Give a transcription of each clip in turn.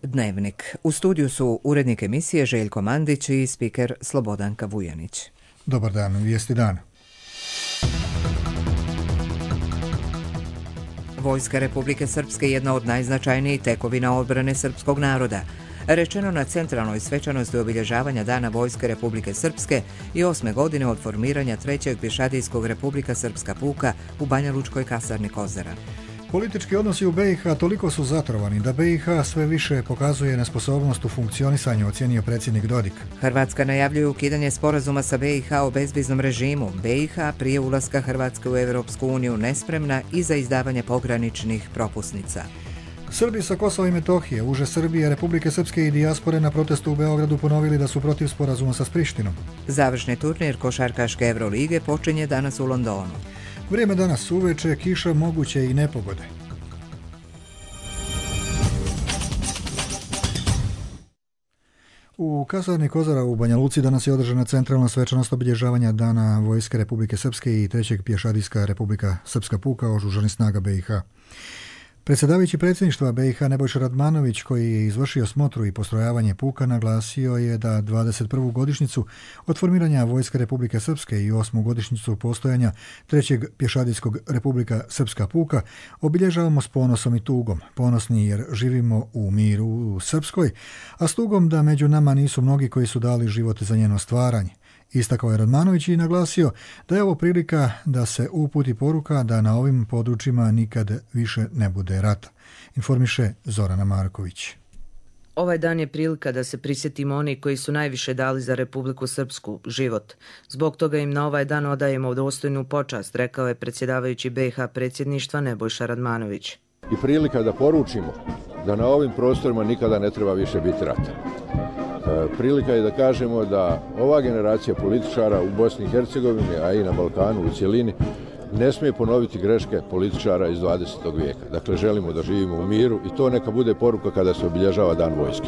Dnevnik. U studiju su urednik emisije Željko Mandić i spiker Slobodanka Vujanić. Dobar dan, vijesti dana. Vojska Republike Srpske je jedna od najznačajnijih tekovina odbrane srpskog naroda. Rečeno na centralnoj svečanosti obilježavanja Dana Vojske Republike Srpske i 8. godine od formiranja 3. pješadijskog Republika Srpska puka u Banja Lučkoj kasarni Kozara. Politički odnosi u BiH toliko su zatrovani da BiH sve više pokazuje nesposobnost u funkcionisanju, ocijenio predsjednik Dodik. Hrvatska najavljuje ukidanje sporazuma sa BiH o bezviznom režimu. BiH prije ulaska Hrvatske u Europsku uniju nespremna i za izdavanje pograničnih propusnica. Srbi sa Kosova i Metohije, uže Srbije, Republike Srpske i dijaspore na protestu u Beogradu ponovili da su protiv sporazuma sa Prištinom. Završni turnir košarkaške Evrolige počinje danas u Londonu. Vrijeme danas uveče, kiša, moguće i nepogode. U kasarni Kozara u Banja Luci danas je održana centralna svečanost obilježavanja Dana Vojske Republike Srpske i 3. pješadijska Republika Srpska puka oružanih snaga BiH. Predsjedavajući predsjedništva BiH Nebojša Radmanović, koji je izvršio smotru i postrojavanje puka, naglasio je da 21. godišnjicu od formiranja Vojske Republike Srpske i 8. godišnjicu postojanja 3. pješadijskog Republika Srpska puka obilježavamo s ponosom i tugom. Ponosni jer živimo u miru u Srpskoj, a s tugom da među nama nisu mnogi koji su dali život za njeno stvaranje. Istakao je Radmanović i naglasio da je ovo prilika da se uputi poruka da na ovim područjima nikad više ne bude rata. Informiše Zorana Marković. Ovaj dan je prilika da se prisjetimo oni koji su najviše dali za Republiku Srpsku, život. Zbog toga im na ovaj dan odajemo dostojnu počast, rekao je predsjedavajući BiH predsjedništva Nebojša Radmanović. I prilika da poručimo da na ovim prostorima nikada ne treba više biti rata. Prilika je da kažemo da ova generacija političara u Bosni i Hercegovini, a i na Balkanu u cjelini, ne smije ponoviti greške političara iz 20. vijeka. Dakle, želimo da živimo u miru i to neka bude poruka kada se obilježava Dan vojske.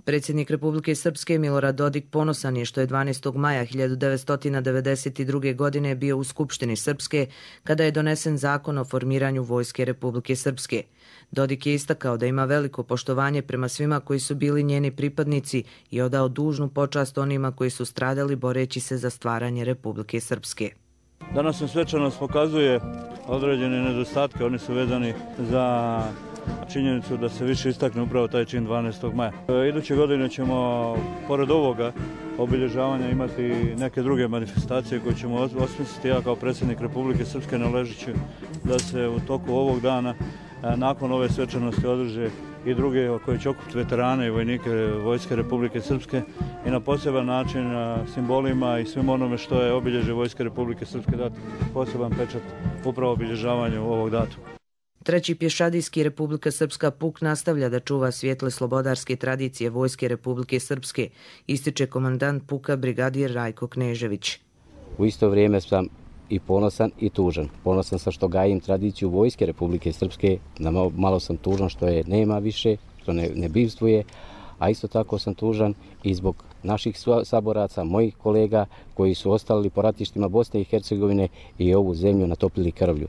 Predsjednik Republike Srpske Milorad Dodik ponosan je što je 12. maja 1992. godine bio u Skupštini Srpske kada je donesen zakon o formiranju Vojske Republike Srpske. Dodik je istakao da ima veliko poštovanje prema svima koji su bili njeni pripadnici i odao dužnu počast onima koji su stradali boreći se za stvaranje Republike Srpske. Danas svečanost pokazuje određene nedostatke, oni su vezani za činjenicu da se više istakne upravo taj čin 12. maja. Iduće godine ćemo, pored ovoga obilježavanja, imati neke druge manifestacije koje ćemo osmisliti. Ja kao predsjednik Republike Srpske naležeću da se u toku ovog dana, nakon ove svečanosti, održe i druge koje će okupiti veterane i vojnike Vojske Republike Srpske i na poseban način simbolima i svim onome što je obilježje Vojske Republike Srpske dati poseban pečat upravo obilježavanju ovog datuma. 3. pješadijski Republika Srpska puk nastavlja da čuva svijetle slobodarske tradicije Vojske Republike Srpske, ističe komandant puka brigadir Rajko Knežević. U isto vrijeme sam i ponosan i tužan. Ponosan sam što gajim tradiciju Vojske Republike Srpske, malo sam tužan što je nema više, što ne bivstvuje, a isto tako sam tužan i zbog naših saboraca, mojih kolega koji su ostali po ratištima Bosne i Hercegovine i ovu zemlju natopili krvlju.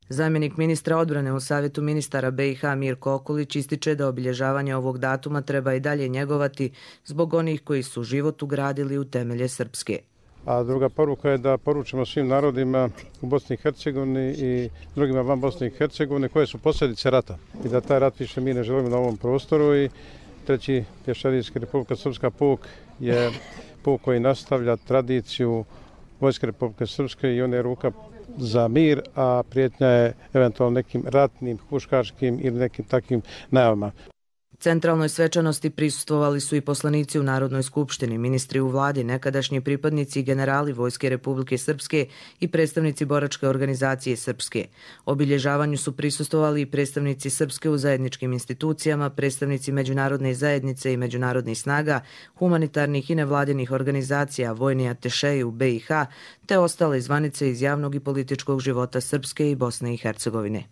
Zamjenik ministra odbrane u Savjetu ministara BiH Mirko Okulić ističe da obilježavanje ovog datuma treba i dalje njegovati zbog onih koji su život ugradili u temelje Srpske. A druga poruka je da poručimo svim narodima u Bosni i Hercegovini i drugima van Bosne i Hercegovine koje su posljedice rata i da taj rat više mi ne želimo na ovom prostoru. I 3. pješadijski Republika Srpska puk je puk koji nastavlja tradiciju Vojske Republike Srpske i on je ruka za mir, a prijetnja je eventualno nekim ratnim, huškačkim ili nekim takvim najavama. Centralnoj svečanosti prisustvovali su i poslanici u Narodnoj skupštini, ministri u vladi, nekadašnji pripadnici i generali Vojske Republike Srpske i predstavnici boračke organizacije Srpske. Obilježavanju su prisustvovali i predstavnici Srpske u zajedničkim institucijama, predstavnici međunarodne zajednice i međunarodnih snaga, humanitarnih i nevladinih organizacija, vojni atešeji u BiH, te ostale zvanice iz javnog i političkog života Srpske i Bosne i Hercegovine.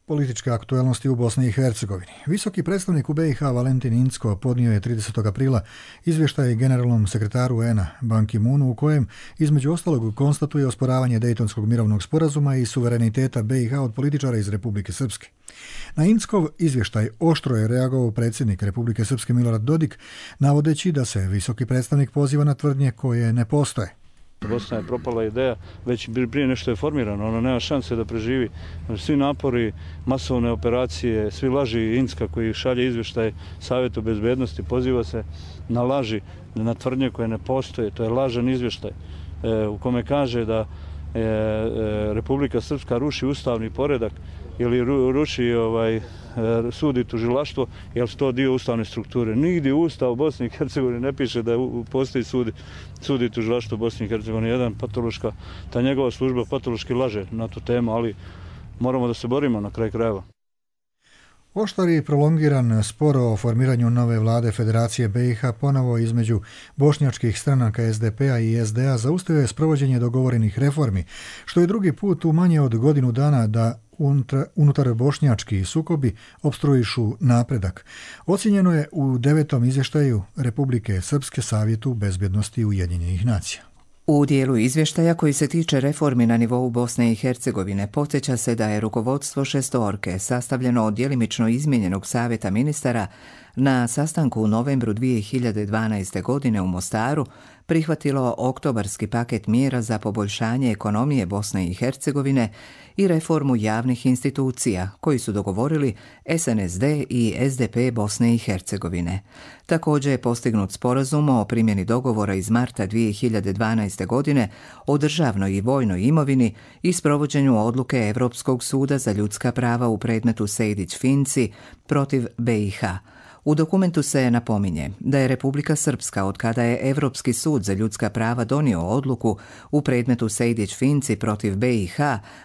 Političke aktualnosti u Bosni i Hercegovini. Visoki predstavnik u BiH Valentin Incko podnio je 30. aprila izvještaj generalnom sekretaru UN-a Ban Ki-moonu u kojem između ostalog konstatuje osporavanje Dejtonskog mirovnog sporazuma i suvereniteta BiH od političara iz Republike Srpske. Na Inckov izvještaj oštro je reagovao predsjednik Republike Srpske Milorad Dodik, navodeći da se visoki predstavnik poziva na tvrdnje koje ne postoje. Bosna je propala ideja, već prije nešto je formirano, ona nema šanse da preživi. Svi napori, masovne operacije, svi laži Incka koji šalje izvještaj Savjetu bezbednosti, poziva se na laži, na tvrdnje koje ne postoje. To je lažan izvještaj u kome kaže da Republika Srpska ruši ustavni poredak ili ruši sud i tužilaštvo, jer su to dio ustavne strukture. Nigdje u Ustavu Bosne i Hercegovine ne piše da postoji sud i tužilaštvo Bosne i Hercegovine. Jedan patološka, ta njegova služba patološki laže na tu temu, ali moramo da se borimo na kraj krajeva. Oštar i prolongiran spor o formiranju nove vlade Federacije BiH ponovo između bošnjačkih stranaka SDP-a i SDA zaustavio je sprovođenje dogovorenih reformi, što je drugi put u manje od godinu dana da unutar bošnjački sukobi opstruišu napredak. Ocijenjeno je u 9. izvještaju Republike Srpske Savjetu bezbjednosti Ujedinjenih nacija. U dijelu izvještaja koji se tiče reformi na nivou Bosne i Hercegovine podsjeća se da je rukovodstvo šestorke sastavljeno od djelimično izmijenjenog savjeta ministara na sastanku u novembru 2012. godine u Mostaru prihvatilo oktobarski paket mjera za poboljšanje ekonomije Bosne i Hercegovine i reformu javnih institucija koji su dogovorili SNSD i SDP Bosne i Hercegovine. Također je postignut sporazum o primjeni dogovora iz marta 2012. godine o državnoj i vojnoj imovini i sprovođenju odluke Europskog suda za ljudska prava u predmetu Sejdić-Finci protiv BiH. U dokumentu se napominje da je Republika Srpska, od kada je Europski sud za ljudska prava donio odluku u predmetu Sejdić-Finci protiv BiH,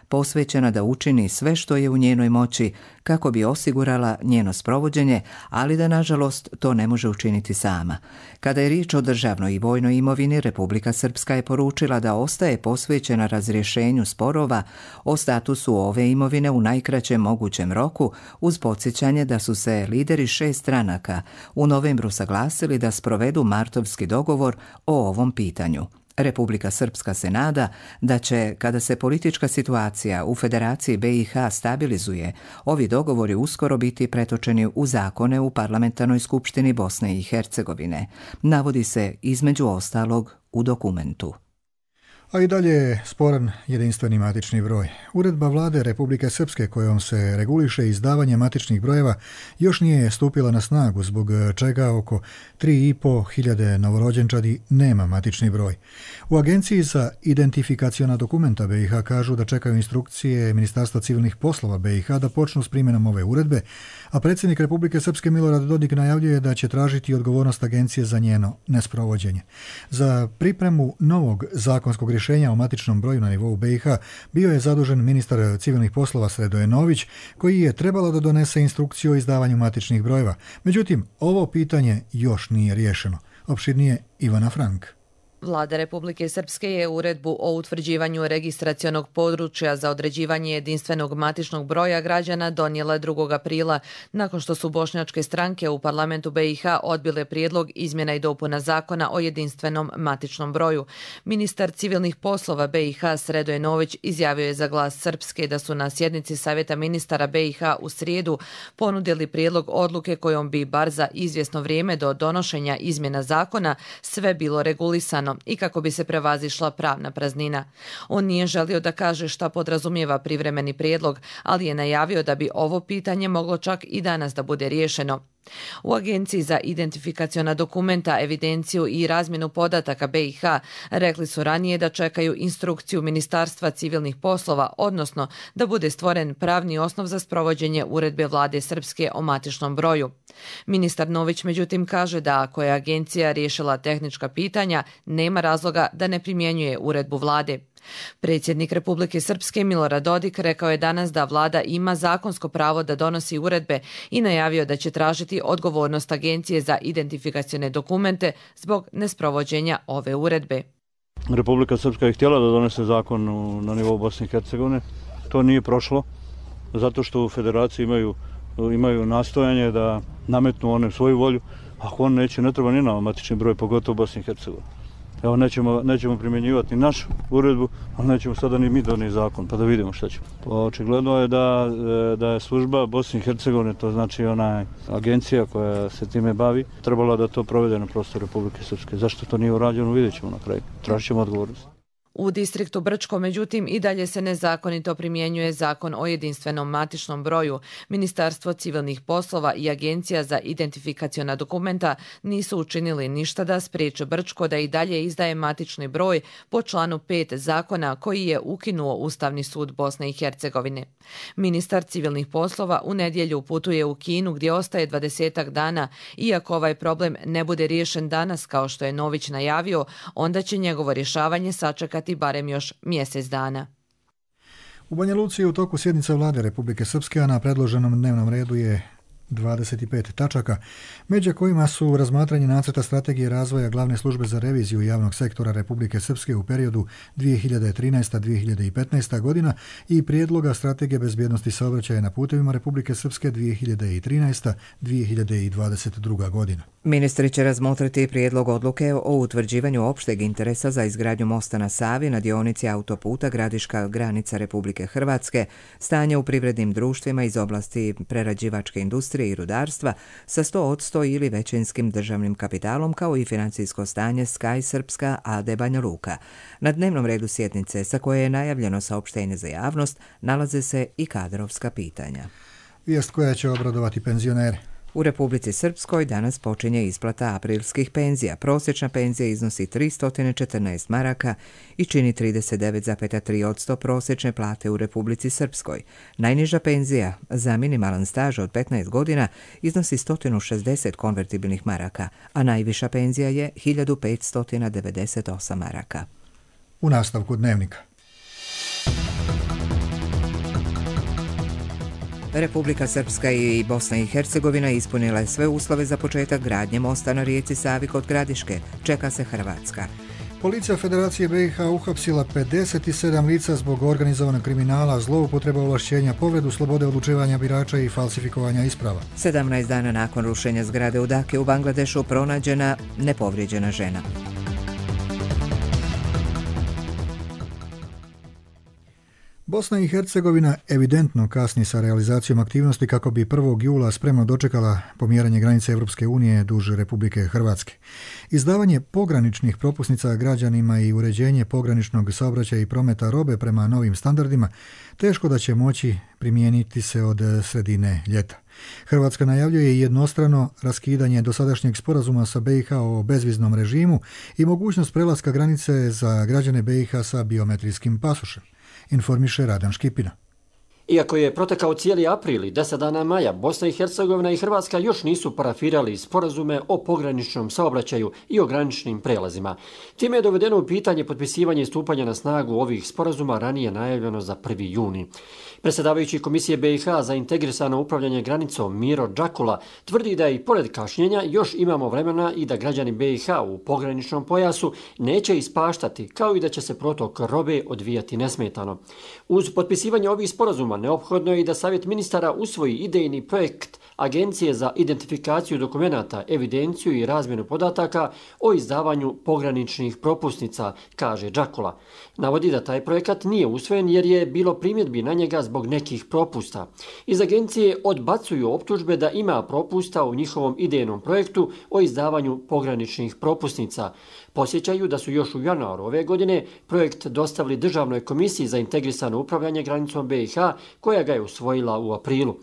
posvećena da učini sve što je u njenoj moći kako bi osigurala njeno sprovođenje, ali da nažalost to ne može učiniti sama. Kada je riječ o državnoj i vojnoj imovini, Republika Srpska je poručila da ostaje posvećena razrješenju sporova o statusu ove imovine u najkraćem mogućem roku, uz podsjećanje da su se lideri 6 stranaka u novembru saglasili da sprovedu martovski dogovor o ovom pitanju. Republika Srpska se nada da će, kada se politička situacija u Federaciji BiH stabilizuje, ovi dogovori uskoro biti pretočeni u zakone u Parlamentarnoj skupštini Bosne i Hercegovine, navodi se između ostalog u dokumentu. A i dalje je sporan jedinstveni matični broj. Uredba vlade Republike Srpske kojom se reguliše izdavanje matičnih brojeva još nije stupila na snagu, zbog čega oko 3.500 novorođenčadi nema matični broj. U Agenciji za identifikaciona dokumenta BiH kažu da čekaju instrukcije Ministarstva civilnih poslova BiH da počnu s primjenom ove uredbe, a predsjednik Republike Srpske Milorad Dodik najavljuje da će tražiti odgovornost agencije za njeno nesprovođenje. Za pripremu novog zakonskog rješenja o matičnom broju na nivou BiH bio je zadužen ministar civilnih poslova Sredoje Nović, koji je trebalo da donese instrukciju o izdavanju matičnih brojeva. Međutim, ovo pitanje još nije riješeno. Opširnije Ivana Frank. Vlada Republike Srpske je uredbu o utvrđivanju registracionog područja za određivanje jedinstvenog matičnog broja građana donijela 2. aprila, nakon što su bošnjačke stranke u parlamentu BiH odbile prijedlog izmjena i dopuna zakona o jedinstvenom matičnom broju. Ministar civilnih poslova BiH Sredoje Nović izjavio je za Glas Srpske da su na sjednici Savjeta ministara BiH u srijedu ponudili prijedlog odluke kojom bi bar za izvjesno vrijeme do donošenja izmjena zakona sve bilo regulisano i kako bi se prevazišla pravna praznina. On nije želio da kaže šta podrazumijeva privremeni prijedlog, ali je najavio da bi ovo pitanje moglo čak i danas da bude riješeno. U Agenciji za identifikaciona dokumenta, evidenciju i razmjenu podataka BiH rekli su ranije da čekaju instrukciju Ministarstva civilnih poslova, odnosno da bude stvoren pravni osnov za sprovođenje uredbe vlade Srpske o matičnom broju. Ministar Nović međutim kaže da ako je agencija riješila tehnička pitanja, nema razloga da ne primjenjuje uredbu vlade. Predsjednik Republike Srpske Milorad Dodik rekao je danas da vlada ima zakonsko pravo da donosi uredbe i najavio da će tražiti odgovornost Agencije za identifikacione dokumente zbog nesprovođenja ove uredbe. Republika Srpska je htjela da donese zakon na nivou Bosne i Hercegovine. To nije prošlo. zato što u federaciji imaju nastojanje da nametnu one svoju volju. Ako on neće, ne treba ni nama matični broj, pogotovo u Bosni i Hercegovini. Evo, nećemo primjenjivati našu uredbu, ali nećemo sada ni mi donijeti zakon, pa da vidimo šta ćemo. Očigledno je da je služba Bosne i Hercegovine, to znači ona agencija koja se time bavi, trebala da to provede na prostoru Republike Srpske. Zašto to nije urađeno, vidjet ćemo na kraju. Tražit ćemo odgovornost. U distriktu Brčko, međutim, i dalje se nezakonito primjenjuje zakon o jedinstvenom matičnom broju. Ministarstvo civilnih poslova i Agencija za identifikaciona dokumenta nisu učinili ništa da spriječe Brčko da i dalje izdaje matični broj po članu 5 zakona koji je ukinuo Ustavni sud Bosne i Hercegovine. Ministar civilnih poslova u nedjelju putuje u Kinu gdje ostaje 20 dana. Iako ovaj problem ne bude riješen danas kao što je Nović najavio, onda će njegovo rješavanje sačekati barem još mjesec dana. U Banja Luci u toku sjednice vlade Republike Srpske, a na predloženom dnevnom redu je 25 tačaka, među kojima su razmatranje nacrta strategije razvoja glavne službe za reviziju javnog sektora Republike Srpske u periodu 2013-2015 godina i prijedloga strategije bezbjednosti saobraćaja na putevima Republike Srpske 2013-2022 godina. Ministri će razmotriti prijedlog odluke o utvrđivanju opšteg interesa za izgradnju mosta na Savi na dionici autoputa Gradiška granica Republike Hrvatske, stanje u privrednim društvima iz oblasti prerađivačke industrije i rudarstva sa 100% ili većinskim državnim kapitalom, kao i financijsko stanje Sky Srpska AD Banja Luka. Na dnevnom redu sjednice, sa koje je najavljeno saopštenje za javnost, nalaze se i kadrovska pitanja. Vijest koja će obradovati penzionere. U Republici Srpskoj danas počinje isplata aprilskih penzija. Prosječna penzija iznosi 314 maraka i čini 39,3% prosječne plate u Republici Srpskoj. Najniža penzija za minimalan staž od 15 godina iznosi 160 konvertibilnih maraka, a najviša penzija je 1598 maraka. U nastavku dnevnika. Republika Srpska i Bosna i Hercegovina ispunila je sve uslove za početak gradnje mosta na rijeci Savi kod Gradiške. Čeka se Hrvatska. Policija Federacije BiH uhapsila 57 lica zbog organizovanog kriminala, zloupotreba ovlašćenja, povredu slobode odlučivanja birača i falsifikovanja isprava. 17 dana nakon rušenja zgrade u Daki u Bangladešu pronađena nepovrijeđena žena. Bosna i Hercegovina evidentno kasni sa realizacijom aktivnosti kako bi 1. jula spremno dočekala pomjeranje granice Europske unije duž Republike Hrvatske. Izdavanje pograničnih propusnica građanima i uređenje pograničnog saobraćaja i prometa robe prema novim standardima teško da će moći primijeniti se od sredine ljeta. Hrvatska najavljuje jednostrano raskidanje dosadašnjeg sporazuma sa BiH o bezviznom režimu i mogućnost prelaska granice za građane BiH sa biometrijskim pasošem, informiše Radan Škipina. Iako je protekao cijeli april i 10 dana maja, Bosna i Hercegovina i Hrvatska još nisu parafirali sporazume o pograničnom saobraćaju i o graničnim prelazima. Time je dovedeno u pitanje potpisivanje i stupanja na snagu ovih sporazuma ranije najavljeno za 1. juni. Predsjedavajući Komisije BiH za integrisano upravljanje granicom Miro Đakula tvrdi da i pored kašnjenja još imamo vremena i da građani BiH u pograničnom pojasu neće ispaštati, kao i da će se protok robe odvijati nesmetano. Uz potpisivanje ovih sporazuma neophodno je i da Savjet ministara usvoji idejni projekt Agencije za identifikaciju dokumenata, evidenciju i razmjenu podataka o izdavanju pograničnih propusnica, kaže Đakula. Navodi da taj projekat nije usvojen jer je bilo primjedbi na njega zbog nekih propusta. Iz agencije odbacuju optužbe da ima propusta u njihovom idejnom projektu o izdavanju pograničnih propusnica. Posjećaju da su još u januaru ove godine projekt dostavili Državnoj komisiji za integrisano upravljanje granicom BiH, koja ga je usvojila u aprilu.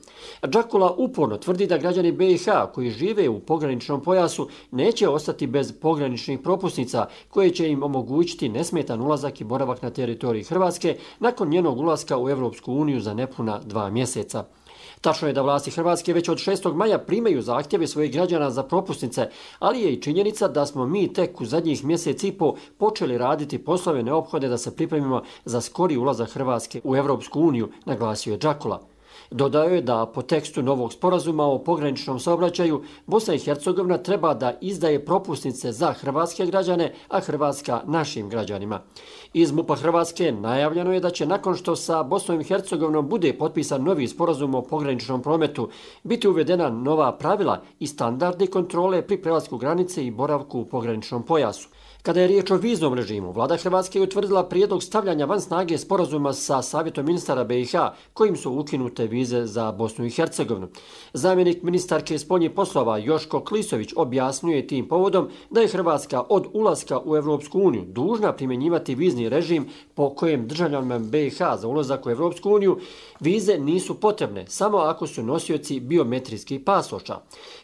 Đakula uporno tvrdi da građani BiH koji žive u pograničnom pojasu neće ostati bez pograničnih propusnica koje će im omogućiti nesmetan ulazak i boravak na teritoriji Hrvatske nakon njenog ulaska u Europsku uniju za nepuna 2 mjeseca. Tačno je da vlasti Hrvatske već od 6. maja primaju zahtjeve svojih građana za propusnice, ali je i činjenica da smo mi tek u zadnjih mjesec i po počeli raditi poslove neophodne da se pripremimo za skori ulazak Hrvatske u Europsku uniju, naglasio je Đakula. Dodao je da po tekstu novog sporazuma o pograničnom saobraćaju Bosna i Hercegovina treba da izdaje propusnice za hrvatske građane, a Hrvatska našim građanima. Iz MUP-a Hrvatske najavljeno je da će nakon što sa Bosnom i Hercegovinom bude potpisan novi sporazum o pograničnom prometu biti uvedena nova pravila i standardi kontrole pri prelasku granice i boravku u pograničnom pojasu. Kada je riječ o viznom režimu, vlada Hrvatske je utvrdila prijedlog stavljanja van snage sporazuma sa Savjetom ministara BiH, kojim su ukinute vize za Bosnu i Hercegovinu. Zamjenik ministarke spoljnih poslova Joško Klisović objasnjuje tim povodom da je Hrvatska od ulaska u Europsku uniju dužna primjenjivati vizni režim po kojem državljanima BiH za ulazak u Europsku uniju vize nisu potrebne, samo ako su nosioci biometrijskih pasoša.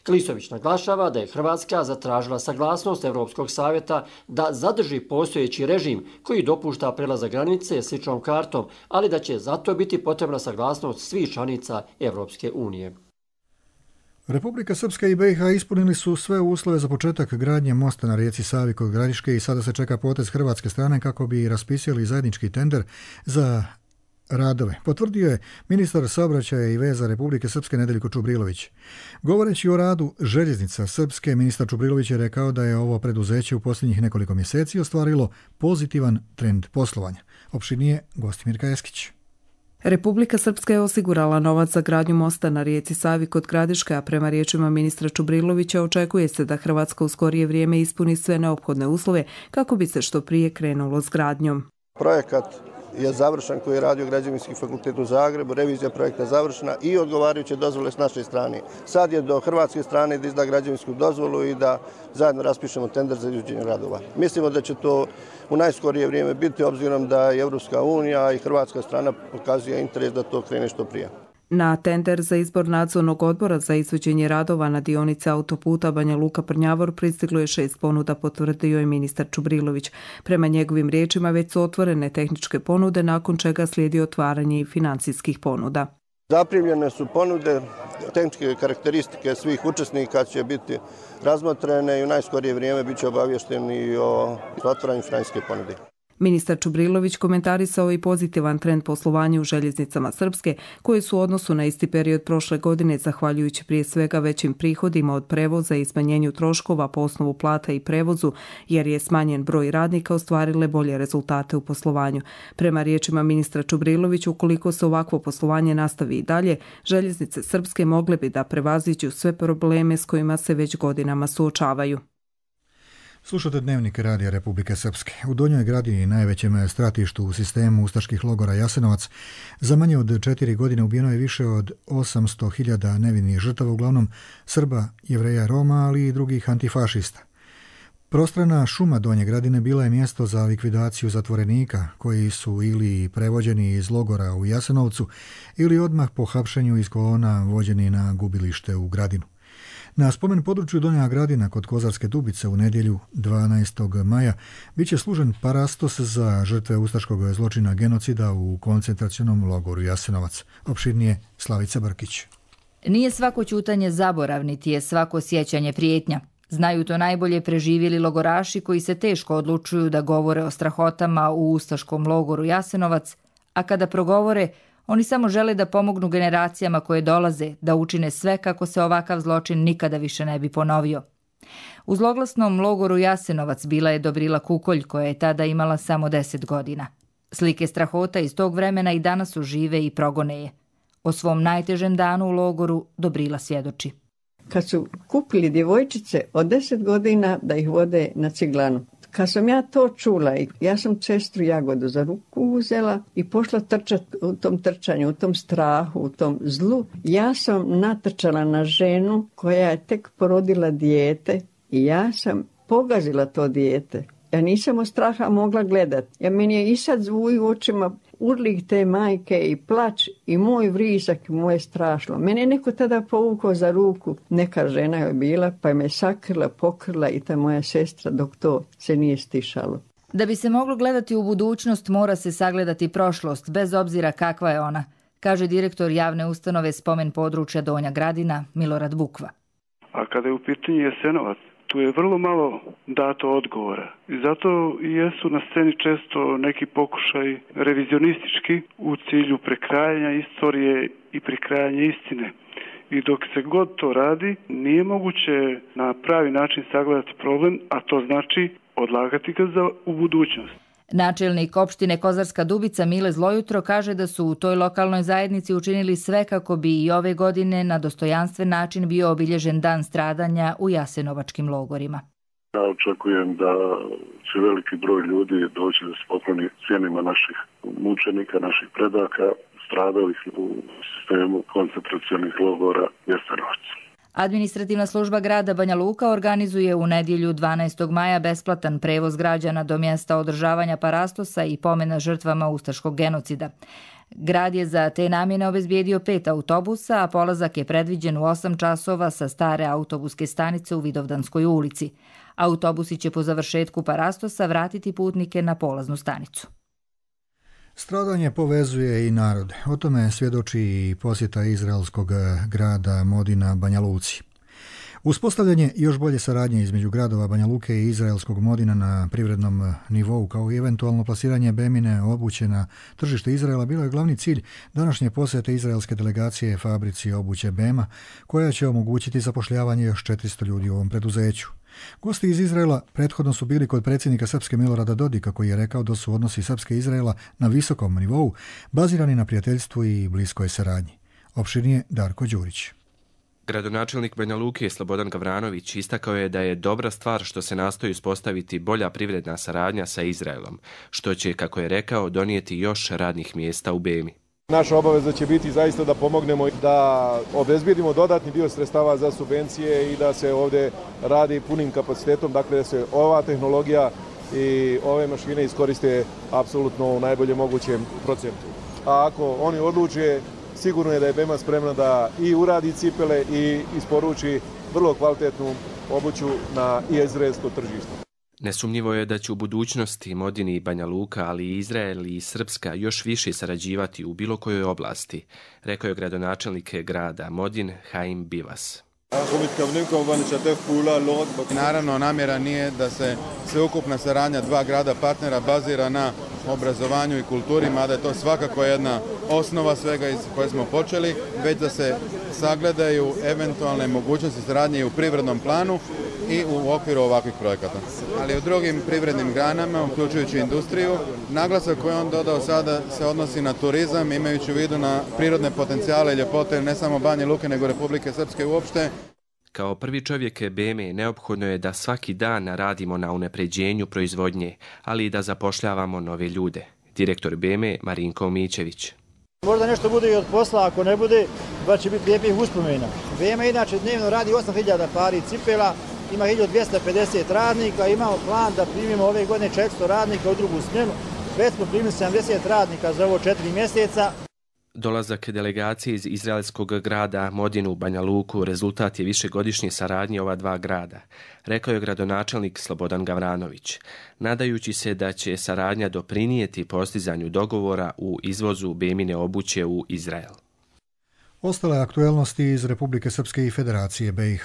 Klisović naglašava da je Hrvatska zatražila saglasnost Europskog savjeta da zadrži postojeći režim koji dopušta prelazak granice s ličnom kartom, ali da će zato biti potrebna saglasnost svih članica Europske unije. Republika Srpska i BiH ispunili su sve uslove za početak gradnje mosta na rijeci Savi kod Gradiške i sada se čeka potez hrvatske strane kako bi raspisali zajednički tender za radove, potvrdio je ministar saobraćaja i veza Republike Srpske Nedeljko Čubrilović. Govoreći o radu željeznica Srpske, ministar Čubrilović je rekao da je ovo preduzeće u posljednjih nekoliko mjeseci ostvarilo pozitivan trend poslovanja. Opširnije Gostimirka Eskić. Republika Srpska je osigurala novac za gradnju mosta na rijeci Savi kod Gradiške, a prema riječima ministra Čubrilovića očekuje se da Hrvatska u skorije vrijeme ispuni sve neophodne uslove kako bi se što prije krenulo s gradnjom. Projekat je završen koji je radio Građevinski fakultet u Zagrebu, revizija projekta je završena i odgovarajuće dozvole s naše strane. Sad je do hrvatske strane da izda građevinsku dozvolu i da zajedno raspišemo tender za izvođenje radova. Mislimo da će to u najskorije vrijeme biti, obzirom da je Europska unija i hrvatska strana pokazuje interes da to krene što prije. Na tender za izbor nadzornog odbora za izvođenje radova na dionici autoputa Banja Luka-Prnjavor pristiglo je 6 ponuda, potvrdio je ministar Čubrilović. Prema njegovim riječima već su otvorene tehničke ponude, nakon čega slijedi otvaranje i financijskih ponuda. Zaprimljene su ponude, tehničke karakteristike svih učesnika će biti razmotrene i u najskorije vrijeme bit će obavješteni o otvaranju financijske ponude. Ministar Čubrilović komentarisao i pozitivan trend poslovanja u željeznicama Srpske, koje su u odnosu na isti period prošle godine, zahvaljujući prije svega većim prihodima od prevoza i smanjenju troškova po osnovu plata i prevozu, jer je smanjen broj radnika, ostvarile bolje rezultate u poslovanju. Prema riječima ministra Čubrilovića, ukoliko se ovakvo poslovanje nastavi i dalje, željeznice Srpske mogle bi da prevaziđu sve probleme s kojima se već godinama suočavaju. Slušate Dnevnik radija Republike Srpske. U Donjoj Gradini, najvećem stratištu u sistemu ustaških logora Jasenovac, za manje od 4 godine ubijeno je više od 800.000 nevinih žrtava, uglavnom Srba, Jevreja, Roma, ali i drugih antifašista. Prostrana šuma Donje Gradine bila je mjesto za likvidaciju zatvorenika koji su ili prevođeni iz logora u Jasenovcu ili odmah po hapšenju iz kolona vođeni na gubilište u Gradinu. Na spomen području Donja Gradina kod Kozarske Dubice u nedjelju 12. maja bit će služen parastos za žrtve ustaškog zločina genocida u koncentracionom logoru Jasenovac. Opširnije Slavica Brkić. Nije svako ćutanje zaborav, niti je svako sjećanje prijetnja. Znaju to najbolje preživjeli logoraši koji se teško odlučuju da govore o strahotama u ustaškom logoru Jasenovac, a kada progovore, oni samo žele da pomognu generacijama koje dolaze, da učine sve kako se ovakav zločin nikada više ne bi ponovio. U zloglasnom logoru Jasenovac bila je Dobrila Kukolj, koja je tada imala samo 10 godina. Slike strahota iz tog vremena i danas su žive i progone je. O svom najtežem danu u logoru Dobrila svjedoči. Kad su kupili djevojčice od 10 godina da ih vode na ciglanu. Kad sam ja to čula, ja sam sestru Jagodu za ruku uzela i pošla trčati u tom trčanju, u tom strahu, u tom zlu. Ja sam natrčala na ženu koja je tek porodila dijete i ja sam pogazila to dijete. Ja nisam od straha mogla gledati. Meni je i sad zvuj u očima urlik te majke i plač i moj vrisak i moje strašno. Mene je neko tada povukao za ruku, neka žena je bila, pa je me sakrila, pokrila i ta moja sestra dok to se nije stišalo. Da bi se moglo gledati u budućnost, mora se sagledati prošlost, bez obzira kakva je ona, kaže direktor javne ustanove Spomen područja Donja Gradina, Milorad Bukva. A kada je u pitanju Jasenovac, tu je vrlo malo dato odgovora. I zato i jesu na sceni često neki pokušaj revizionistički u cilju prekrajanja istorije i prekrajanja istine. I dok se god to radi, nije moguće na pravi način sagledati problem, a to znači odlagati ga u budućnost. Načelnik opštine Kozarska Dubica Mile Zlojutro kaže da su u toj lokalnoj zajednici učinili sve kako bi i ove godine na dostojanstven način bio obilježen dan stradanja u jasenovačkim logorima. Ja očekujem da će veliki broj ljudi doći da se pokloni sjenima naših mučenika, naših predaka, stradalih u sistemu koncentracionih logora Jasenovac. Administrativna služba grada Banja Luka organizuje u nedjelju 12. maja besplatan prevoz građana do mjesta održavanja parastosa i pomena žrtvama ustaškog genocida. Grad je za te namjene obezbijedio 5 autobusa, a polazak je predviđen u 8 časova sa stare autobuske stanice u Vidovdanskoj ulici. Autobusi će po završetku parastosa vratiti putnike na polaznu stanicu. Stradanje povezuje i narod. O tome svjedoči i posjeta izraelskog grada Modina Banja Luci. Uspostavljanje još bolje saradnje između gradova Banja Luke i izraelskog Modina na privrednom nivou kao i eventualno plasiranje bemine obuće na tržište Izraela bilo je glavni cilj današnje posjete izraelske delegacije fabrici obuće Bema, koja će omogućiti zapošljavanje još 400 ljudi u ovom preduzeću. Gosti iz Izraela prethodno su bili kod predsjednika Srpske Milorada Dodika, koji je rekao da su odnosi Srpske i Izraela na visokom nivou, bazirani na prijateljstvu i bliskoj saradnji. Opširnije Darko Đurić. Gradonačelnik Banja Luke Slobodan Gavranović istakao je da je dobra stvar što se nastoji uspostaviti bolja privredna saradnja sa Izraelom, što će, kako je rekao, donijeti još radnih mjesta u Bemi. Naša obaveza će biti zaista da pomognemo da obezbijedimo dodatni dio sredstava za subvencije i da se ovdje radi punim kapacitetom, dakle da se ova tehnologija i ove mašine iskoriste apsolutno u najboljem mogućem procentu. A ako oni odluče, sigurno je da je Bema spremna da i uradi cipele i isporuči vrlo kvalitetnu obuću na izraelsko tržište. Nesumnjivo je da će u budućnosti Modin i Banja Luka, ali i Izrael i Srpska još više sarađivati u bilo kojoj oblasti, rekao je gradonačelnik grada Modin Haim Bivas. Naravno, namjera nije da se sveukupna saradnja dva grada partnera bazira na obrazovanju i kulturi, mada je to svakako jedna osnova svega iz koje smo počeli, već da se sagledaju eventualne mogućnosti saradnje u privrednom planu i u okviru ovakvih projekata. Ali u drugim privrednim granama, uključujući industriju, naglasak koji on dodao sada se odnosi na turizam, imajući u vidu na prirodne potencijale i ljepote ne samo Banja Luke, nego Republike Srpske uopšte. Kao prvi čovjek Beme neophodno je da svaki dan radimo na unapređenju proizvodnje, ali i da zapošljavamo nove ljude. Direktor Beme Marinko Mićević. Možda nešto bude i od posla, ako ne bude, ba će biti lijepih uspomena. Bema inače dnevno radi 8000 pari cipela, ima 1250 radnika, imamo plan da primimo ove godine 400 radnika u drugu smjenu. Već smo primili 70 radnika za ovo 4 mjeseca. Dolazak delegacije iz izraelskog grada Modinu u Banja Luku rezultat je višegodišnje saradnje ova dva grada, rekao je gradonačelnik Slobodan Gavranović, nadajući se da će saradnja doprinijeti postizanju dogovora u izvozu Bemine obuće u Izrael. Ostale aktuelnosti iz Republike Srpske i Federacije BiH.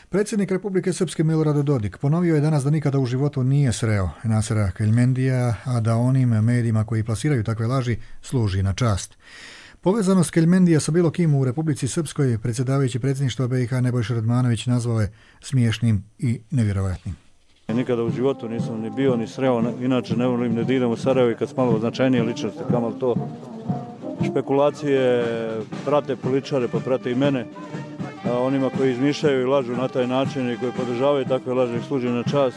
Predsjednik Republike Srpske Milorad Dodik ponovio je danas da nikada u životu nije sreo Nasera Keljmendija, a da onim medijima koji plasiraju takve laži služi na čast. Povezanost Keljmendija sa bilo kim u Republici Srpskoj predsjedavajući predsjedništva BiH Nebojša Radmanović nazvao je smiješnim i nevjerovatnim. Nikada u životu nisam ni bio ni sreo, inače ne volim da idem u Sarajevo i kad smo malo značajnije ličnosti, kamal to špekulacije prate političare, pa prate i mene. Onima koji izmišljaju i lažu na taj način i koji podržavaju takve laže ih služi na čast.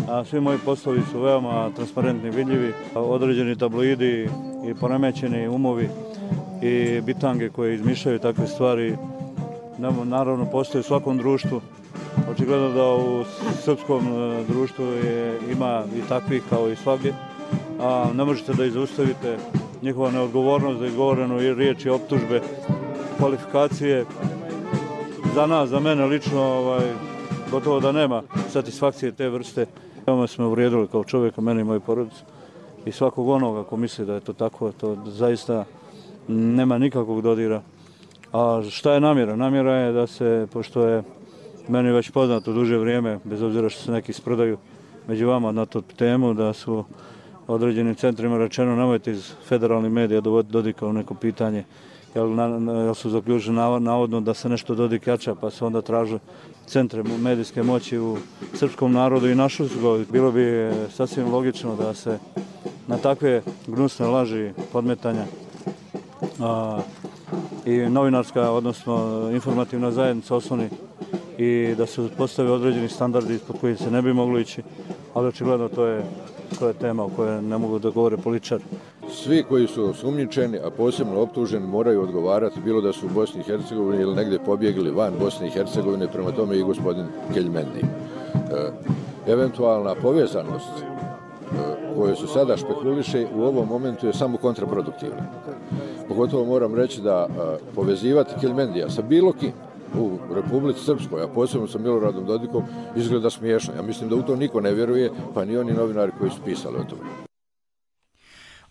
A svi moji poslovi su veoma transparentni, vidljivi. Određeni tabloidi i poremećeni umovi i bitange koje izmišljaju takve stvari naravno postoje u svakom društvu. Očigledno da u srpskom društvu ima i takvih kao i svagdje. A ne možete da zaustavite njihova neodgovornost za izgovorenu riječi, optužbe, kvalifikacije. Za nas, za mene lično, gotovo da nema satisfakcije te vrste. Veoma smo uvrijedili kao čovjeka, mene i moju porodicu. I svakog onoga ko misli da je to tako, to zaista nema nikakvog dodira. A šta je namjera? Namjera je da se, pošto je meni već poznato duže vrijeme, bez obzira što se neki sprdaju među vama na tu temu, da su određenim centrima rečeno nemojte iz federalnih medija dovoditi Dodika u neko pitanje, jer su zaključili navodno da se nešto Dodik jača, pa su onda tražili centre medijske moći u srpskom narodu i našli su ga. Bilo bi sasvim logično da se na takve gnusne laži, podmetanja i novinarska, odnosno informativna zajednica osloni i da se postave određeni standardi ispod kojih se ne bi moglo ići, ali očigledno to je tema o kojoj ne mogu da govore političari. Svi koji su osumnjičeni, a posebno optuženi, moraju odgovarati, bilo da su u Bosni i Hercegovini ili negdje pobjegli van Bosne i Hercegovine, prema tome i gospodin Keljmendi. Eventualna povezanost koju se sada špekuliše u ovom momentu je samo kontraproduktivna. Pogotovo moram reći da povezivati Keljmendija sa bilo kim u Republici Srpskoj, a posebno sa Miloradom Dodikom, izgleda smiješno. Ja mislim da u to niko ne vjeruje, pa ni oni novinari koji su pisali o tome.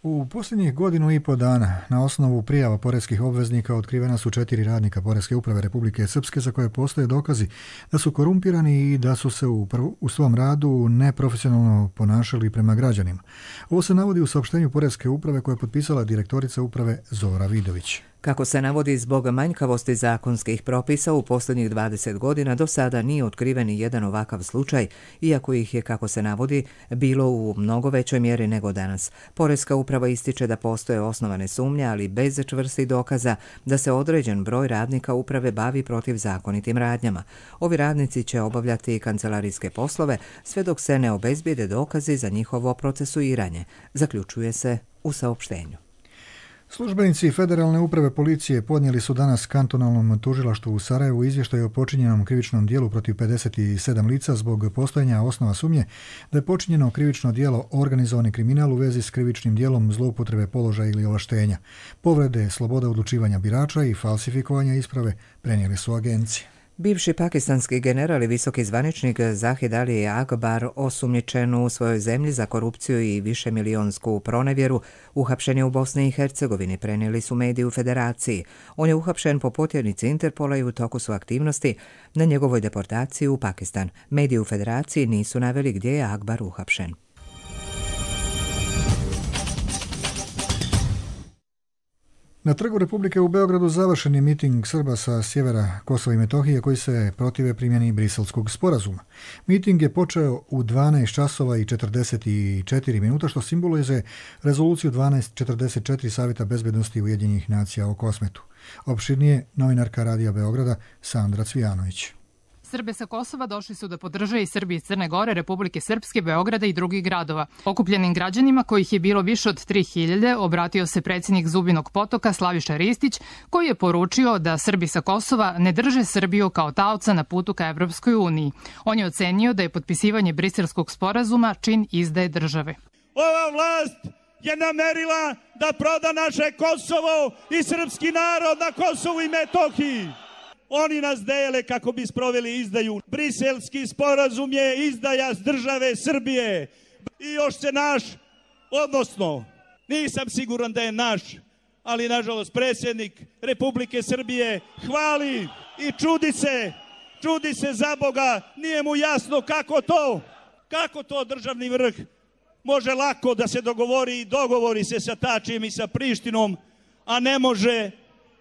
U posljednjih 1.5 dana na osnovu prijava poreskih obveznika otkrivena su 4 radnika Poreske uprave Republike Srpske za koje postoje dokazi da su korumpirani i da su se u svom radu neprofesionalno ponašali prema građanima. Ovo se navodi u saopštenju Poreske uprave koje je potpisala direktorica uprave Zora Vidović. Kako se navodi, zbog manjkavosti zakonskih propisa u posljednjih 20 godina do sada nije otkriven jedan ovakav slučaj, iako ih je, kako se navodi, bilo u mnogo većoj mjeri nego danas. Poreska uprava ističe da postoje osnovane sumnje, ali bez čvrstih dokaza da se određen broj radnika uprave bavi protivzakonitim radnjama. Ovi radnici će obavljati kancelarijske poslove sve dok se ne obezbijede dokazi za njihovo procesuiranje, zaključuje se u saopštenju. Službenici Federalne uprave policije podnijeli su danas kantonalnom tužilaštvu u Sarajevu izvještaj o počinjenom krivičnom dijelu protiv 57 lica zbog postojanja osnova sumnje da je počinjeno krivično dijelo organizovani kriminal u vezi s krivičnim dijelom zloupotrebe položaja ili ovlaštenja, povrede sloboda odlučivanja birača i falsifikovanja isprave, prenijeli su agencije. Bivši pakistanski general i visoki zvaničnik Zahid Ali Akbar, osumnjičen u svojoj zemlji za korupciju i višemilijonsku pronevjeru, uhapšen je u Bosni i Hercegovini, prenijeli su mediji u Federaciji. On je uhapšen po potjernici Interpola i u toku su aktivnosti na njegovoj deportaciji u Pakistan. Mediji u Federaciji nisu naveli gdje je Akbar uhapšen. Na Trgu Republike u Beogradu završen je miting Srba sa sjevera Kosova i Metohije koji se protive primjeni Briselskog sporazuma. Miting je počeo u 12 časova i 44 minuta, što simbolizuje rezoluciju 1244 Savjeta bezbednosti Ujedinjenih nacija o Kosmetu. Opširnije novinarka Radija Beograda Sandra Cvijanović. Srbe sa Kosova došli su da podrže i Srbi iz Crne Gore, Republike Srpske, Beograda i drugih gradova. Okupljenim građanima, kojih je bilo više od 3000, obratio se predsjednik Zubinog Potoka Slaviša Ristić, koji je poručio da Srbi sa Kosova ne drže Srbiju kao taoca na putu ka Evropskoj uniji. On je ocenio da je potpisivanje Briselskog sporazuma čin izdaje države. Ova vlast je namerila da proda naše Kosovo i srpski narod na Kosovu i Metohiji. Oni nas dele kako bi sproveli izdaju. Briselski sporazum je izdaja države Srbije. I još se naš, odnosno, nisam siguran da je naš, ali nažalost predsjednik Republike Srbije hvali i čudi se za Boga, nije mu jasno kako to državni vrh može lako da se dogovori i dogovori se sa Tačijem i sa Prištinom, a ne može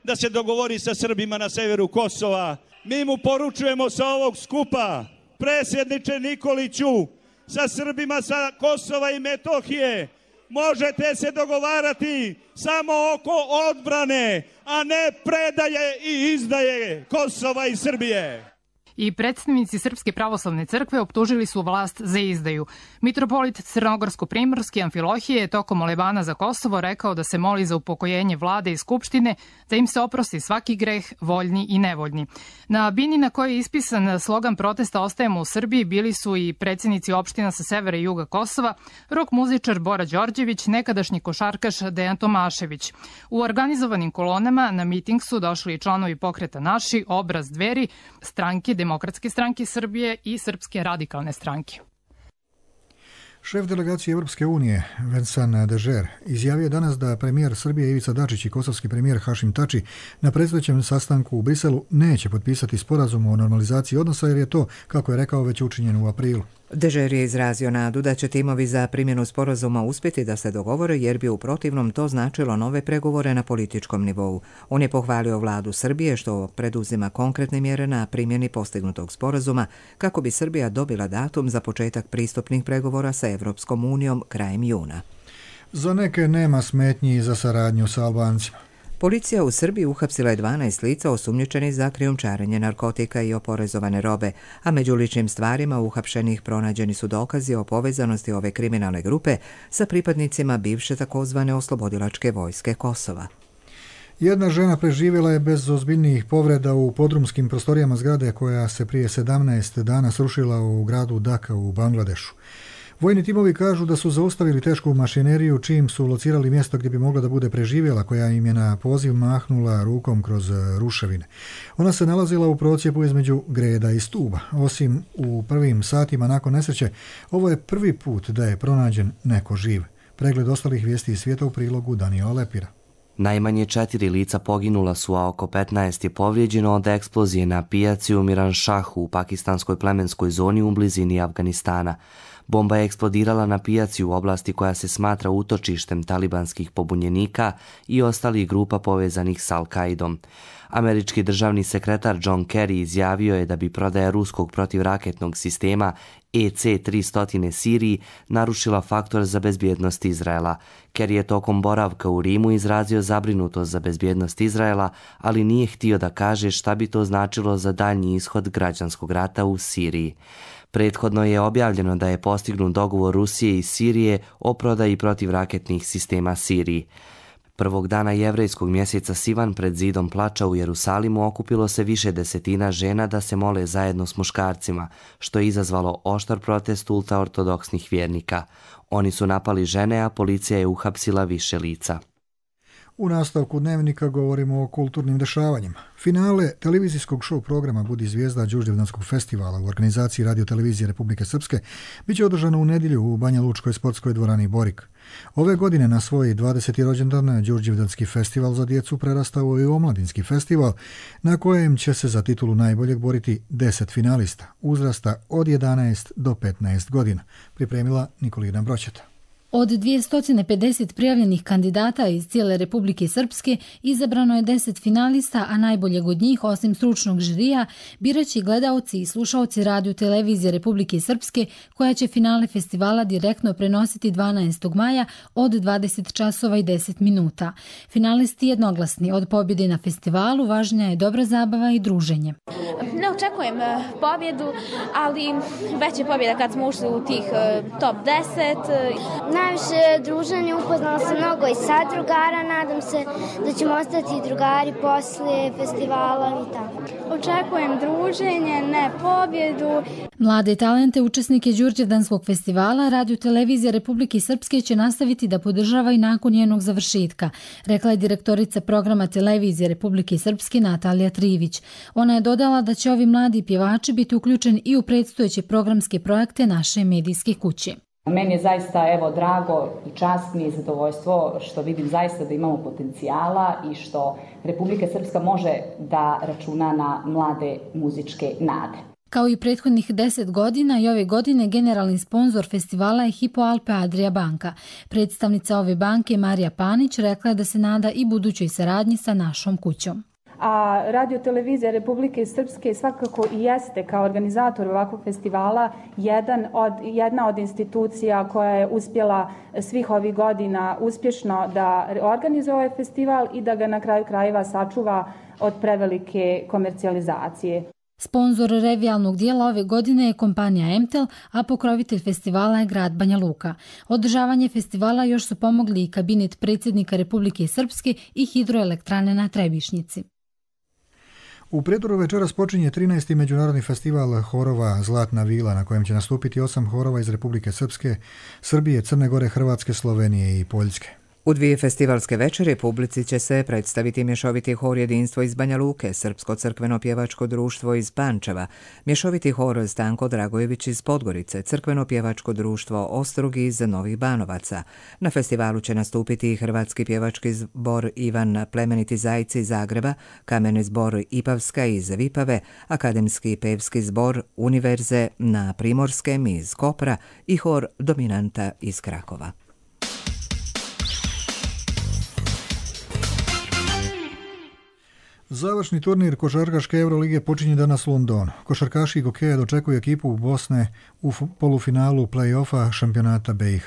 da se dogovori sa Srbima na severu Kosova. Mi mu poručujemo sa ovog skupa, predsjedniče Nikoliću, sa Srbima sa Kosova i Metohije možete se dogovarati samo oko odbrane, a ne predaje i izdaje Kosova i Srbije. I predstavnici Srpske pravoslavne crkve optužili su vlast za izdaju. Mitropolit Crnogorsko-Primorski Amfilohije je tokom molebana za Kosovo rekao da se moli za upokojenje vlade i skupštine, da im se oprosti svaki greh, voljni i nevoljni. Na bini na kojoj je ispisan slogan protesta Ostajemo u Srbiji bili su i predsjednici opština sa severa i juga Kosova, rok muzičar Bora Đorđević, nekadašnji košarkaš Dejan Tomašević. U organizovanim kolonama na miting su došli i članovi pokreta Naši, Obraz Dveri, stranke Demokratske stranke Srbije i Srpske radikalne stranke. Šef delegacije Europske unije, Vincent Dežer, izjavio danas da premijer Srbije Ivica Dačić i kosovski premijer Hašim Tači na predstojećem sastanku u Briselu neće potpisati sporazum o normalizaciji odnosa jer je to, kako je rekao, već učinjeno u aprilu. Dežer je izrazio nadu da će timovi za primjenu sporazuma uspjeti da se dogovore jer bi u protivnom to značilo nove pregovore na političkom nivou. On je pohvalio vladu Srbije što preduzima konkretne mjere na primjeni postignutog sporazuma kako bi Srbija dobila datum za početak pristupnih pregovora sa Evropskom unijom krajem juna. Za neke nema smetnji za saradnju sa Albancima. Policija u Srbiji uhapsila je 12 lica osumnjičenih za krijumčarenje narkotika i oporezovane robe, a među ličnim stvarima uhapšenih pronađeni su dokazi o povezanosti ove kriminalne grupe sa pripadnicima bivše takozvane oslobodilačke vojske Kosova. Jedna žena preživjela je bez ozbiljnijih povreda u podrumskim prostorijama zgrade koja se prije 17 dana srušila u gradu Dhaka u Bangladešu. Vojni timovi kažu da su zaustavili tešku mašineriju čim su locirali mjesto gdje bi mogla da bude preživjela, koja im je na poziv mahnula rukom kroz ruševine. Ona se nalazila u procjepu između greda i stuba. Osim u prvim satima nakon nesreće, ovo je prvi put da je pronađen neko živ. Pregled ostalih vijesti iz svijeta u prilogu Daniela Lepira. Najmanje 4 lica poginula su, a oko 15 je povrijeđeno od eksplozije na pijaci u Miranšahu u pakistanskoj plemenskoj zoni u blizini Afganistana. Bomba je eksplodirala na pijaci u oblasti koja se smatra utočištem talibanskih pobunjenika i ostalih grupa povezanih s Al-Kaidom. Američki državni sekretar John Kerry izjavio je da bi prodaja ruskog protivraketnog sistema EC-300 Siriji narušila faktor za bezbjednost Izraela. Kerry je tokom boravka u Rimu izrazio zabrinutost za bezbjednost Izraela, ali nije htio da kaže šta bi to značilo za daljnji ishod građanskog rata u Siriji. Prethodno je objavljeno da je postignut dogovor Rusije i Sirije o prodaji protivraketnih sistema Siriji. Prvog dana jevrejskog mjeseca Sivan pred zidom plača u Jerusalimu okupilo se više desetina žena da se mole zajedno s muškarcima, što je izazvalo oštar protest ultraortodoksnih vjernika. Oni su napali žene, a policija je uhapsila više lica. U nastavku dnevnika govorimo o kulturnim dešavanjima. Finale televizijskog show programa Budi zvijezda Đurđevdanskog festivala u organizaciji Radio-televizije Republike Srpske biće održano u nedjelju u Banja Lučkoj sportskoj dvorani Borik. Ove godine na svoj 20. rođendan Đurđevdanski festival za djecu prerastao i u omladinski festival na kojem će se za titulu najboljeg boriti 10 finalista uzrasta od 11 do 15 godina. Pripremila Nikolina Broćeta. Od 250 prijavljenih kandidata iz cijele Republike Srpske izabrano je 10 finalista, a najboljeg od njih, osim stručnog žirija, biraće gledaoci i slušaoci Radio-televizije Republike Srpske, koja će finale festivala direktno prenositi 12. maja od 20 časova i 10 minuta. Finalisti jednoglasni, od pobjede na festivalu važnija je dobra zabava i druženje. Ne očekujem pobjedu, ali već je pobjeda kad smo ušli u tih top 10. Najviše druženje, upoznala se mnogo i sad drugara, nadam se da ćemo ostati drugari poslije festivala i tako. Očekujem druženje, ne pobjedu. Mlade talente, učesnike Đurđevdanskog festivala, Radio-televizija Republike Srpske će nastaviti da podržava i nakon njenog završetka, rekla je direktorica programa Televizije Republike Srpske Natalija Trivić. Ona je dodala da će ovi mladi pjevači biti uključeni i u predstojeće programske projekte naše medijske kuće. Meni je zaista drago i čast mi je zadovoljstvo što vidim zaista da imamo potencijala i što Republika Srpska može da računa na mlade muzičke nade. Kao i prethodnih 10 godina i ove godine generalni sponzor festivala je Hypo Alpe Adria banka. Predstavnica ove banke Marija Panić rekla je da se nada i budućoj saradnji sa našom kućom. A Radio-televizija Republike Srpske svakako i jeste kao organizator ovakvog festivala jedna od institucija koja je uspjela svih ovih godina uspješno da organizuje ovaj festival i da ga na kraju krajeva sačuva od prevelike komercijalizacije. Sponzor revijalnog dijela ove godine je kompanija Emtel, a pokrovitelj festivala je grad Banja Luka. Održavanje festivala još su pomogli i kabinet predsjednika Republike Srpske i hidroelektrane na Trebišnjici. U Prijedoru večeras počinje 13. međunarodni festival horova Zlatna vila, na kojem će nastupiti 8 horova iz Republike Srpske, Srbije, Crne Gore, Hrvatske, Slovenije i Poljske. U 2 festivalske večeri publici će se predstaviti mješoviti hor Jedinstvo iz Banja Luke, Srpsko crkveno pjevačko društvo iz Pančeva, mješoviti hor Stanko Dragojević iz Podgorice, crkveno pjevačko društvo Ostrog iz Novih Banovaca. Na festivalu će nastupiti i hrvatski pjevački zbor Ivan Plemeniti Zajci iz Zagreba, kameni zbor Ipavska iz Vipave, akademski pevski zbor Univerze na Primorskem iz Kopra i hor Dominanta iz Krakova. Završni turnir košarkaške Eurolige počinje danas u Londonu. Košarkaši Gokeja dočekuju ekipu u Bosne u polufinalu play-offa šampionata BiH.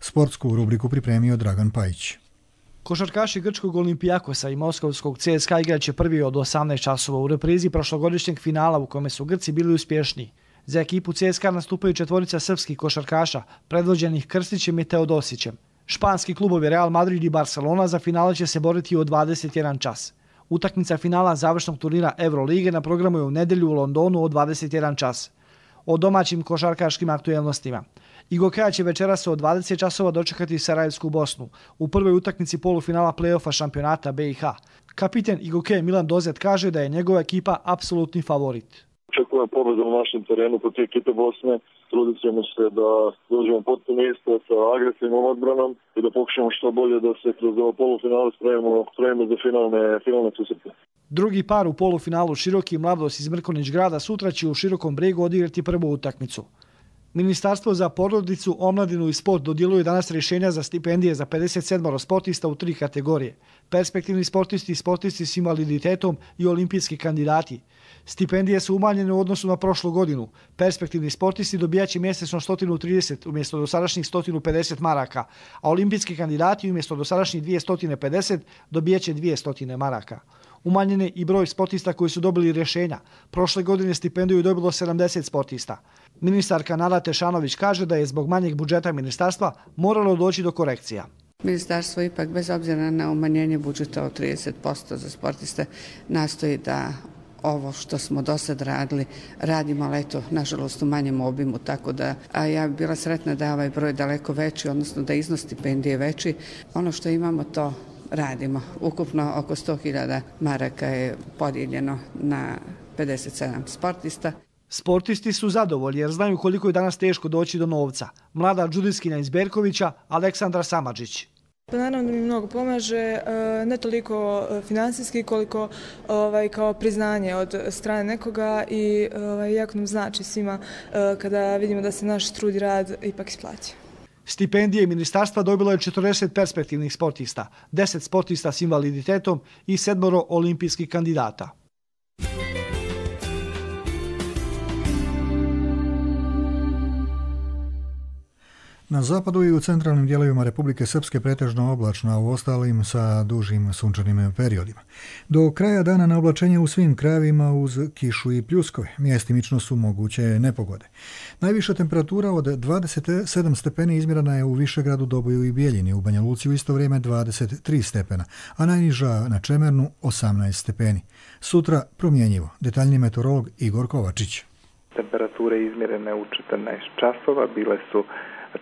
Sportsku rubriku pripremio Dragan Pajić. Košarkaši grčkog Olimpijakosa i moskovskog CSKA igraće prvi od 18 časova u reprizi prošlogodišnjeg finala u kome su Grci bili uspješni. Za ekipu CSKA nastupaju 4 srpskih košarkaša, predvođenih Krstićem i Teodosićem. Španski klubovi Real Madrid i Barcelona za finale će se boriti od 21 čas. Utakmica finala završnog turnira Eurolige na programu je u nedjelju u Londonu od 21 čas. O domaćim košarkaškim aktuelnostima. Gokeja će večeras od 20 časova dočekati Sarajevsku Bosnu u prvoj utakmici polufinala play-offa šampionata BiH. Kapiten Gokeja Milan Dozet kaže da je njegova ekipa apsolutni favorit. Očekujem pobedu na našem terenu protiv ekipe Bosne. Trudit ćemo se da dođemo potpuno isto sa agresivnom odbranom i da pokušamo što bolje da se kroz ovo polufinale spremimo za finalne susrete. Drugi par u polufinalu Široki i Mladost iz Mrkonić grada sutra će u Širokom Bregu odigrati prvu utakmicu. Ministarstvo za porodicu, omladinu i sport dodjeljuje danas rješenja za stipendije za 57 sportista u 3 kategorije. Perspektivni sportisti, sportisti s invaliditetom i olimpijski kandidati. Stipendije su umanjene u odnosu na prošlu godinu. Perspektivni sportisti dobijaće mjesečno 130 umjesto dosadašnjih 150 maraka, a olimpijski kandidati umjesto dosadašnjih 250 dobijaće 200 maraka. Umanjen je i broj sportista koji su dobili rješenja. Prošle godine stipendiju je dobilo 70 sportista. Ministarka Nada Tešanović kaže da je zbog manjeg budžeta ministarstva moralo doći do korekcija. Ministarstvo ipak bez obzira na umanjenje budžeta od 30% za sportiste nastoji da ovo što smo do sad radili, radimo, ali eto, nažalost u manjem obimu, tako da ja bi bila sretna da je ovaj broj daleko veći, odnosno da iznos stipendije veći. Ono što imamo to radimo. Ukupno oko 100.000 maraka je podijeljeno na 57 sportista. Sportisti su zadovoljni jer znaju koliko je danas teško doći do novca. Mlada džudiskinja iz Berkovića, Aleksandra Samadžić. Naravno da mi mnogo pomaže, ne toliko finansijski koliko kao priznanje od strane nekoga i jako nam znači svima kada vidimo da se naš trud i rad ipak isplaća. Stipendije ministarstva dobilo je 40 perspektivnih sportista, 10 sportista s invaliditetom i 7 olimpijskih kandidata. Na zapadu i u centralnim dijelovima Republike Srpske pretežno oblačno, a u ostalim sa dužim sunčanim periodima. Do kraja dana na oblačenje u svim krajevima uz kišu i pljuskove. Mjestimično su moguće nepogode. Najviša temperatura od 27 stepeni izmjerena je u Višegradu, Doboju i Bijeljini. U Banja Luci u isto vrijeme 23 stepena, a najniža na Čemernu 18 stepeni. Sutra promjenjivo. Detaljni meteorolog Igor Kovačić. Temperature izmjerene u 14 časova bile su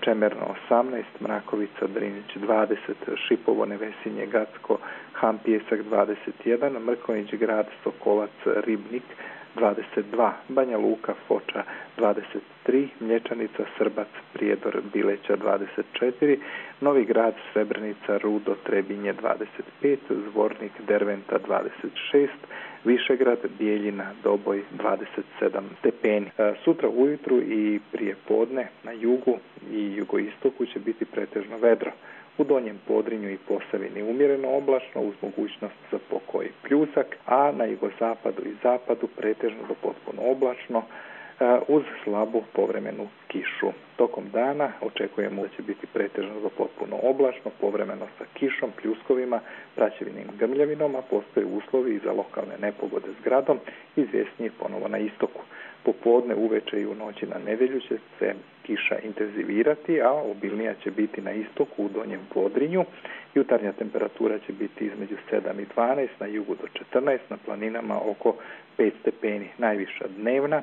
Čemerno 18, Mrakovica, Drinić 20, Šipovo, Nevesinje, Gacko, Han Pijesak 21, Mrkonjić grad, Sokolac, Ribnik 22, Banja Luka, Foča 23, Mlječanica, Srbac, Prijedor, Bileća 24, Novi grad, Srebrenica, Rudo, Trebinje 25, Zvornik, Derventa 26, Višegrad, Bijeljina, Doboj 27 stepeni. Sutra ujutru i prije podne na jugu i jugoistoku će biti pretežno vedro. U Donjem Podrinju i Posavini umjereno oblačno uz mogućnost za pokoj pljusak, a na jugozapadu i zapadu pretežno do potpuno oblačno uz slabu povremenu kišu. Tokom dana očekujemo da će biti pretežno do potpuno oblačno, povremeno sa kišom, pljuskovima, praćevinim grmljavinom, a postoje uslovi i za lokalne nepogode s gradom, izvjesnije ponovo na istoku. Popodne, uveče i u noći na nedjelju će se kiša intenzivirati, a obilnija će biti na istoku u Donjem Podrinju. Jutarnja temperatura će biti između 7 i 12, na jugu do 14, na planinama oko 5 stepeni. Najviša dnevna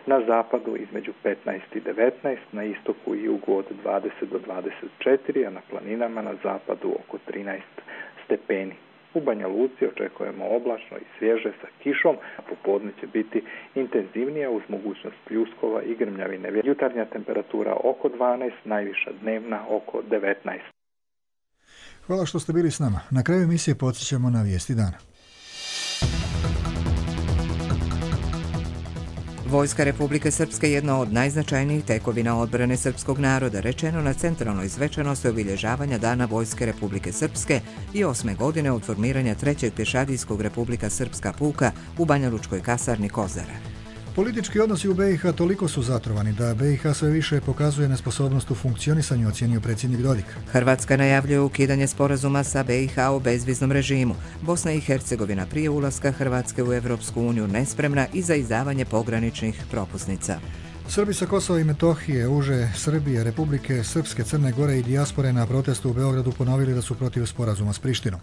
na zapadu između 15 i 19, na istoku i jugu od 20 do 24, a na planinama na zapadu oko 13 stepeni. U Banja Luci očekujemo oblačno i svježe sa kišom, a popodne će biti intenzivnija uz mogućnost pljuskova i grmljavine. Jutarnja temperatura oko 12, najviša dnevna oko 19. Hvala što ste bili s nama. Na kraju emisije podsjećamo na vijesti dana. Vojska Republike Srpske je jedna od najznačajnijih tekovina odbrane srpskog naroda, rečeno na centralnoj svečanosti obilježavanja Dana Vojske Republike Srpske i 8. godine od formiranja 3. pješadijskog Republika Srpska puka u Banjalučkoj kasarni Kozara. Politički odnosi u BiH toliko su zatrovani da BiH sve više pokazuje nesposobnost u funkcionisanju, ocijenio predsjednik Dodik. Hrvatska najavljuje ukidanje sporazuma sa BiH o bezviznom režimu. Bosna i Hercegovina prije ulaska Hrvatske u Europsku uniju nespremna i za izdavanje pograničnih propusnica. Srbi sa Kosova i Metohije, uže Srbije, Republike Srpske, Crne Gore i dijaspore na protestu u Beogradu ponovili da su protiv sporazuma s Prištinom.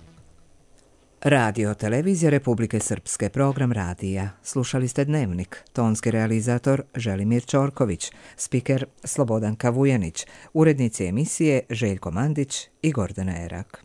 Radio Televizija Republike Srpske, program radija. Slušali ste Dnevnik, tonski realizator Želimir Čorković, spiker Slobodanka Vujanić, urednici emisije Željko Mandić i Gordana Erak.